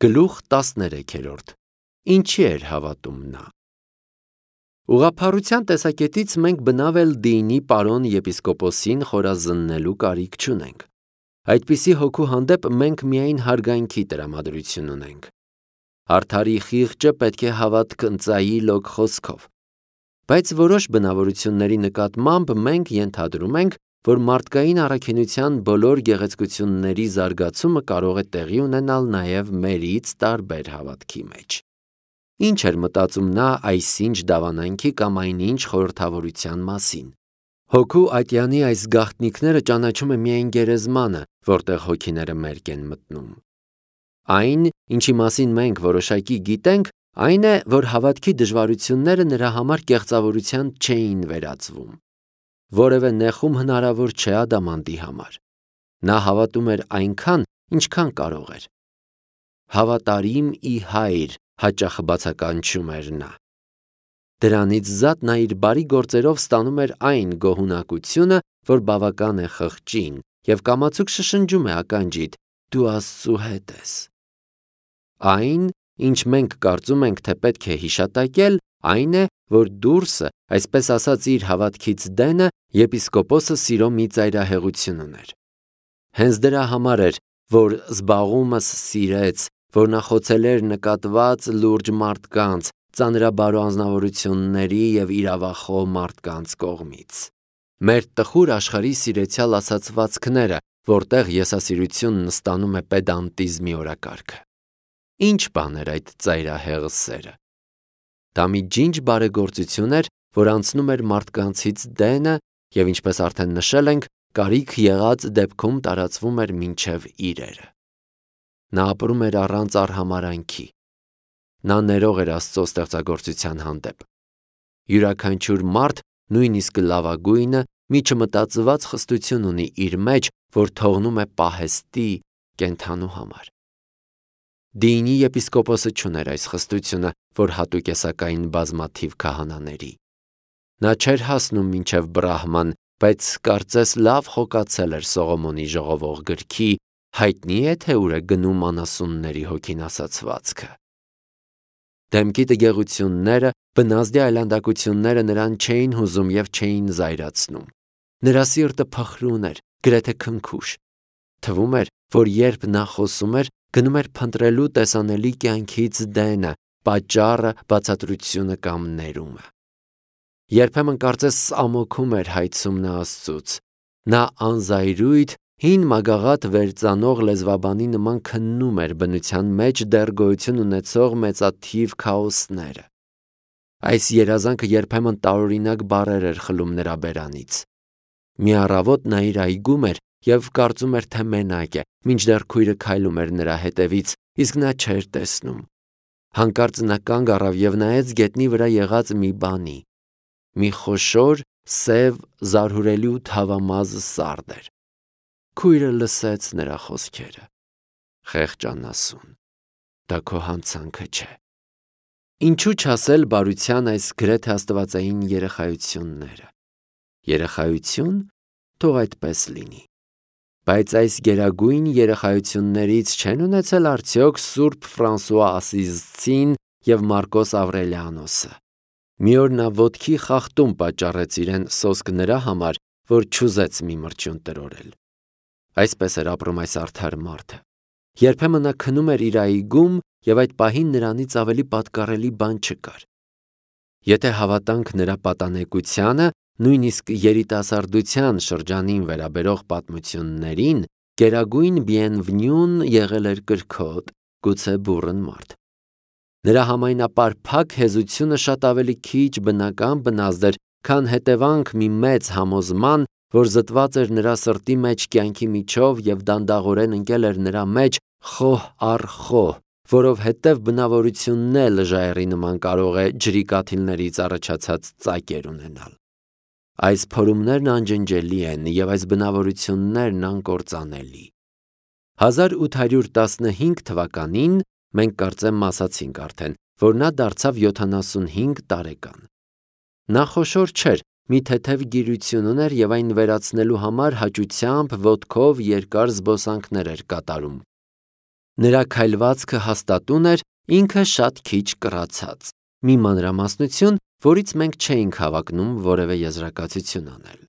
Գլուխ 13 Ինչի էր հավատում նա։ Ուղղափառության տեսակետից մենք բնավ էլ դինի պարոն եպիսկոպոսին խորազննելու կարիք չունենք։ Այդպիսի հոգու հանդեպ մենք միայն հարգանքի տրամադրություն ունենք։ Արդարի խիղճը պետք է հավատք ընծայի լոկ խոսքով։ Բայց որոշ բնավորությունների նկատմամբ մենք ենթադրում ենք, որ մարդկային առաքինության բոլոր գեղեցկությունների զարգացումը կարող է տեղի ունենալ նաև մերից տարբեր հավատքի մեջ։ Ինչ էր մտածում նա այսինչ դավանանքի կամ այնինչ խորհրդավորության մասին։ Հոգու ատյանի այս գաղտնիքները ճանաչում է միայն գերեզմանը, որտեղ հոգիները մերկ են մտնում։ Այն, ինչի մասին մենք որոշակի գիտենք, այն է, որ հավատքի դժվարությունները նրա համար կեղծավորության չէին վերածվում։ Որևէ նեխում հնարավոր չէ ադամանդի համար։ Նա հավատում էր այնքան, ինչքան կարող էր։ Հավատարիմ ի հայր, հաճախ բացականչում էր նա։ Դրանից զատ նա իր բարի գործերով ստանում էր այն գոհունակությունը, որ բավական է խղճին, և կամացուկ շշնջում է ականջիդ. «Դու Աստծու հետ ես»։ Այն, ինչ մենք կարծում ենք, թե պետք է հիշատակել, այն է, որ դուրսը, այսպես ասած իր հավատքից դենը, եպիսկոպոսը սիրո մի ծայրահեղություն ուներ։ Հենց դրա համար էր, որ զբաղումս սիրեց, որ նա խոցել էր նկատված լուրջ մարդկանց, ծանրաբարո անձնավորությունների և իրավախոհ մարդկանց կողմից։ Մեր տխուր աշխարհի սիրեցյալ ասացվածքները, որտեղ եսասիրությունն ստանում է պեդանտիզմի օրակարգը։ Ինչ բան էր այդ ծայրահեղ սերը։ Դա մի ջինջ բարեգործություն էր, որ անցնում էր մարդկանցից դենը և, ինչպես արդեն նշել ենք, կարիք եղած դեպքում տարածվում էր մինչև իրերը։ Նա ապրում էր առանց արհամարհանքի։ Նա ներող էր Աստծո ստեղծագործության հանդեպ։ Յուրաքանչյուր մարդ, նույնիսկ լավագույնը, մի չմտածված խստություն ունի իր մեջ, որ թողնում է պահեստի կենդանու համար։ Դինի եպիսկոպոսը չուներ այս խստությունը, որ հատուկ է սակայն բազմաթիվ քահանաների։ Նա չէր հասնում մինչև Բրահման, բայց կարծես լավ խոկացել էր Սողոմոնի ժողովող գրքի «Հայտնի է, թե ուր է գնում անասունների հոգին» ասացվածքը։ Դեմքի տգեղությունները, բնազդի այլանդակությունները նրան չէին հուզում և չէին զայրացնում։ Նրա սիրտը փխրուն էր, գրեթե քնքուշ։ Թվում էր, որ երբ նա խոսում էր, գնում էր փնտրելու տեսանելի կյանքից դենը, պատճառը, բացատրությունը կամ ներումը։ Երբեմն կարծես ամոքում էր հայցում նա Աստծուց։ Նա անզայրույթ, հին մագաղաթ վերծանող լեզվաբանի նման քննում էր բնության մեջ դեռ գոյություն ունեցող մեծաթիվ քաոսները։ Այս երազանքը երբեմն տարօրինակ բառեր էր խլում նրա բերանից։ Մի առավոտ նա իր այգում էր և կարծում էր, թե մենակ է, մինչդեռ քույրը քայլում էր նրա հետևից, իսկ նա չէր տեսնում։ Հանկարծ նա կանգ առավ և նայեց գետնի վրա եղած մի բանի։ Մի խոշոր, սև, զարհուրելի ու թավամազ սարդ էր։ Քույրը լսեց նրա խոսքերը. «Խեղճ անասուն, դա քո հանցանքը չէ»։ Ինչու չասել բարության այս գրեթե աստվածային երեխայությունները։ Երեխայություն, թող այդպես լինի։ Բայց այս գերագույն երեխայություններից չեն ունեցել արդյոք Սուրբ Ֆրանսուଆ Ասիզցին և Մարկոս Ավրելիանոսը։ Մի օր նա ոտքի խախտում պատճառեց իրեն սոսկ նրա համար, որ չուզեց մի մրջյուն տրորել։ Այսպես էր ապրում այս արդար մարդը։ Երբեմն նա քնում էր իր այգում, և այդ պահին նրանից ավելի պատկառելի բան չկար։ Եթե հավատանք նրա պատանեկությանը, նույնիսկ երիտասարդության շրջանին վերաբերող պատմություններին, գերագույն Բիենվնյուն եղել էր կրքոտ, գուցե բուռն մարդ։ Նրա համայնապար փակ հեզությունը շատ ավելի քիչ բնական բնազդ էր, քան հետևանք մի մեծ համոզման, որ զտված էր նրա սրտի մեջ կյանքի միջով և դանդաղորեն ընկել էր նրա մեջ խոհ առ խոհ, որովհետև բնավորությունն էլ ժայռի նման կարող է ջրի կաթիլներից առաջացած ծակեր ունենալ։ Այս փորումներն անջնջելի են և այս բնավորություններն անկործանելի։ 1815 թվականին մենք կարծեմ ասացինք արդեն, որ նա դարձավ 75 տարեկան։ Նա խոշոր չէր, մի թեթև գիրություն ուներ և այն վերացնելու համար հաճությամբ ոտքով երկար զբոսանքներ էր կատարում։ Նրա քայլվածքը հաստատուն էր, ինքը շատ քիչ կռացած, մի մանրամասնություն, որից մենք չէինք հավակնում որևէ եզրակացություն անել։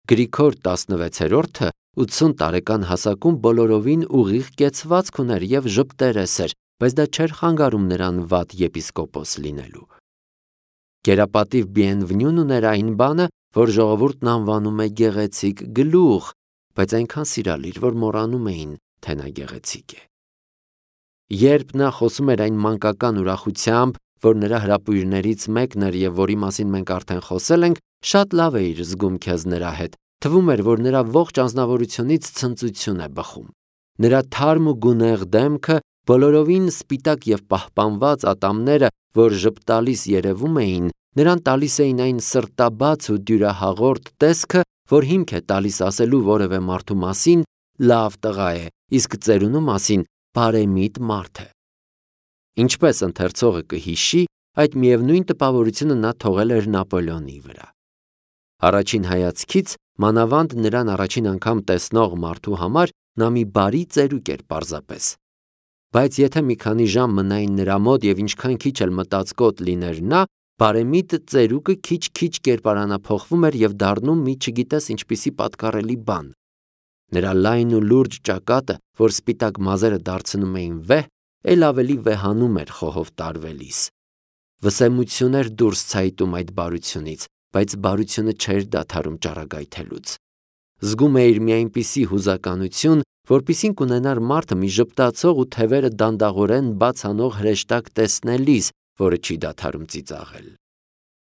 Գրիգոր 16-րդը 80 տարեկան հասակում բոլորովին ուղիղ կեցվածք ուներ և ժպտերես էր, բայց դա չէր խանգարում նրան վատ եպիսկոպոս լինելու։ Կերապատիվ Բիենվենյուն ուներ այն բանը, որ ժողովուրդն անվանում է գեղեցիկ գլուխ, բայց այնքան սիրալիր, որ մոռանում էին, թե նա գեղեցիկ է։ Երբ նա խոսում էր այն մանկական ուրախությամբ, որ նրա հրապույրներից մեկն էր և որի մասին մենք արդեն խոսել ենք, շատ լավ էիր զգում քեզ նրա հետ, թվում էր, որ նրա ողջ անձնավորությունից ցնծություն է բխում։ Նրա թարմ ու գունեղ դեմքը, բոլորովին սպիտակ և պահպանված ատամները, որ ժպտալիս երևում էին, նրան տալիս էին այն սրտաբաց ու դյուրահաղորդ տեսքը, որ հիմք է տալիս ասելու որևէ մարդու մասին լավ տղա է, իսկ ծերունու մասին բարեմիտ մարդ է։ Ինչպես ընթերցողը կհիշի, այդ միևնույն տպավորությունը նա թողել էր Նապոլեոնի վրա։ Առաջին հայացքից, մանավանդ նրան առաջին անգամ տեսնող մարդու համար, նա մի բարի ծերուկ էր պարզապես։ Բայց եթե մի քանի ժամ մնային նրա մոտ և ինչքան քիչ էլ մտածկոտ լիներ նա, բարեմիտ ծերուկը քիչ-քիչ կերպարանափոխվում էր և դառնում մի չգիտես ինչպիսի պատկառելի բան։ Նրա լայն ու լուրջ ճակատը, որ սպիտակ մազերը դարձնում էին վեհ, էլ ավելի վեհանում էր խոհով տարվելիս։ Վսեմություն էր դուրս ցայտում այդ բարությունից, բայց բարությունը չէր դադարում ճառագայթելուց։ Զգում էիր մի այնպիսի հուզականություն, որպիսին կունենար մարդը մի ժպտացող ու թևերը դանդաղորեն բաց անող հրեշտակ տեսնելիս, որը չի դադարում ծիծաղել։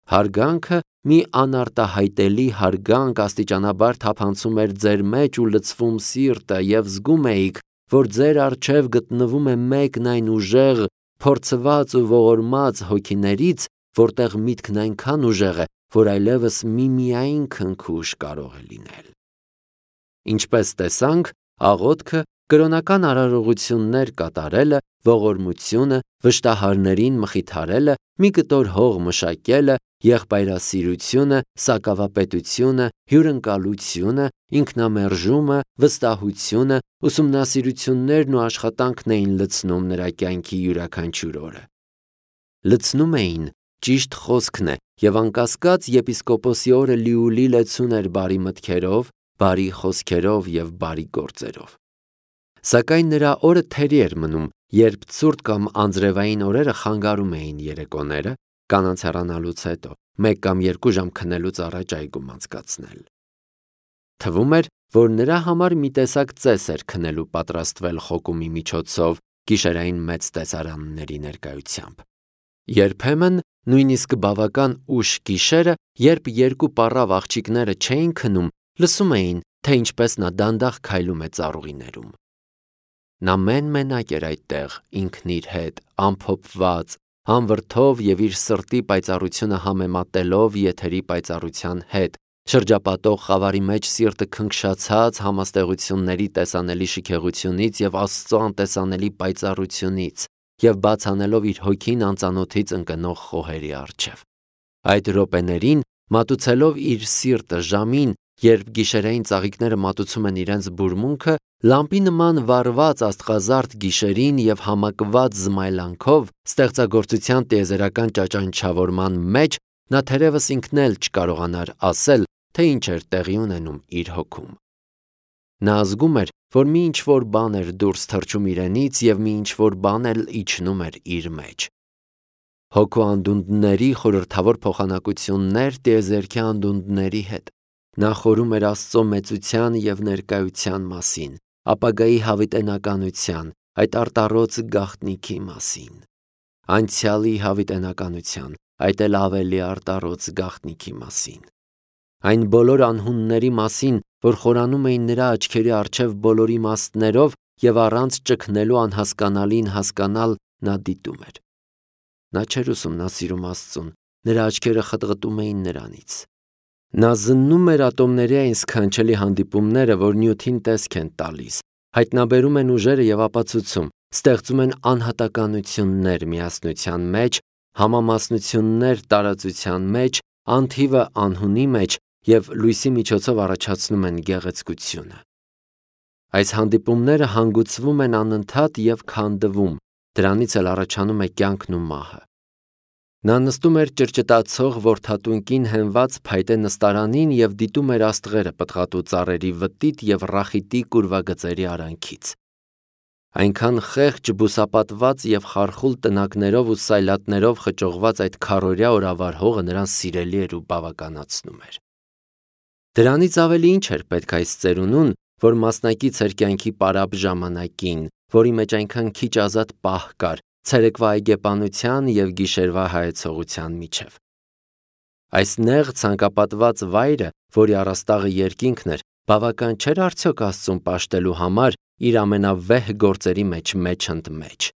Հարգանքը, մի անարտահայտելի հարգանք աստիճանաբար թափանցում էր ձեր մեջ ու լցվում սիրտը, և զգում էիք, որ ձեր առջև գտնվում է մեկն այն ուժեղ, փորձված ու ողորմած հոգիներից, որտեղ միտքն այնքան ուժեղ է, որ այլևս միմիայն քնքուշ կարող է լինել։ Ինչպես տեսանք, աղոթքը, կրոնական արարողություններ կատարելը, ողորմությունը, վշտահարներին մխիթարելը, մի կտոր հող մշակելը, եղբայրասիրությունը, սակավապետությունը, հյուրընկալությունը, ինքնամերժումը, վստահությունը, ուսումնասիրություններն ու աշխատանքն էին լցնում նրա կյանքի յուրաքանչյուր օրը։ Լցնում էին, ճիշտ խոսքն է, և անկասկած եպիսկոպոսի օրը լիուլի լեցուն էր բարի մտքերով, բարի խոսքերով և բարի գործերով։ Սակայն նրա օրը թերի էր մնում, երբ ցուրտ կամ անձրևային օրերը խանգարում էին երեկոները, կանանց հեռանալուց հետո, 1 կամ 2 ժամ քնելուց առաջ այգում անցկացնել։ Թվում էր, որ նրա համար մի տեսակ ծես էր քնելու պատրաստվել խոկումի միջոցով գիշերային մեծ տեսարանների ներկայությամբ։ Երբեմն, նույնիսկ բավական ուշ գիշերը, երբ 2 պառավ աղջիկները չէին քնում, լսում էին, թե ինչպես նա դանդաղ քայլում է ծառուղիներում։ Նա մեն-մենակ էր այդտեղ, ինքն իր հետ, ամփոփված, հանվրդով և իր սրտի պայծառությունը համեմատելով եթերի պայծառության հետ, շրջապատող խավարի մեջ սիրտը քնքշացած համաստեղությունների տեսանելի շքեղությունից և Աստծո անտեսանելի պայծառությունից, և բաց անելով իր հոգին անծանոթից ընկնող խոհերի առջև։ Այդ րոպեներին, մատուցելով իր սիրտը ժամին, երբ գիշերային ծաղիկները մատուցում են իրենց բուրմունքը, լամպի նման վառված աստղազարդ գիշերին և համակված զմայլանքով, ստեղծագործության տիեզերական ճաճանչավորման մեջ, նա թերևս ինքն էլ չկարողանար ասել, թե ինչ էր տեղի ունենում իր հոգում։ Նա զգում էր, որ մի ինչ-որ բան էր դուրս թռչում իրենից և մի ինչ-որ բան էլ իջնում էր իր մեջ։ Հոգու անդունդների խորհրդավոր փոխանակություններ տիեզերքի անդունդների հետ։ Նա խորում էր Աստծո մեծության և ներկայության մասին, ապագայի հավիտենականության, այդ արտառոց գաղտնիքի մասին, անցյալի հավիտենականության, այդ էլ ավելի արտառոց գաղտնիքի մասին, այն բոլոր անհունների մասին, որ խորանում էին նրա աչքերի առջև բոլոր իմաստներով և առանց ճգնելու անհասկանալին հասկանալ նա դիտում էր։ Նա չէր ուսումնասիրում Աստծուն, նրա աչքերը խտղտում էին նրանից։ Նա զննում էր ատոմների այն սքանչելի հանդիպումները, որ նյութին տեսք են տալիս, հայտնաբերում են ուժերը և ապացուցում, ստեղծում են անհատականություններ միասնության մեջ, համամասնություններ տարածության մեջ, անթիվը անհունի մեջ և լույսի միջոցով առաջացնում են գեղեցկությունը։ Այս հանդիպումները հանգուցվում են անընդհատ և քանդվում, դրանից էլ առաջանում է կյանքն ու մահը։ Նա նստում էր ճրճտացող որդատունկին հենված փայտե նստարանին և դիտում էր աստղերը պտղատու ծառերի վտիտ և ռախիտիկ ուրվագծերի արանքից։ Այնքան խեղճ, բուսապատված և խարխուլ տնակներով ու սայլատներով խճողված այդ քառօրյա օրավար հողը նրան սիրելի էր ու բավականացնում էր։ Դրանից ավելի ինչ էր պետք այս ծերունուն, որ մասնակից էր կյանքի պարապ ժամանակին, որի մեջ այնքան քիչ ազատ պահ կար ցերեկվա այգեպանության և գիշերվա հայեցողության միջև։ Այս նեղ ցանկապատված վայրը, որի առաստաղը երկինքն էր, բավական չէր արդյոք Աստծուն պաշտելու համար իր ամենավեհ գործերի մեջ ընդ մեջ։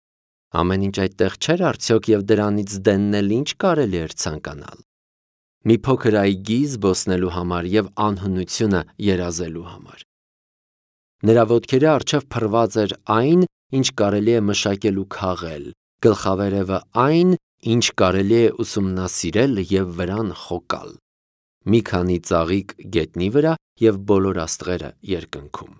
Ամեն ինչ այդտեղ չէր արդյոք և դրանից դենն էլ ինչ կարելի էր ցանկանալ։ Մի փոքր այգի զբոսնելու համար և անհնությունը երազելու համար։ Նրա ոտքերի առջև փռված էր այն, ինչ կարելի է մշակել ու քաղել, գլխավերևը այն, ինչ կարելի է ուսումնասիրել և վրան խոկալ։ Մի քանի ծաղիկ գետնի վրա և բոլոր աստղերը երկնքում։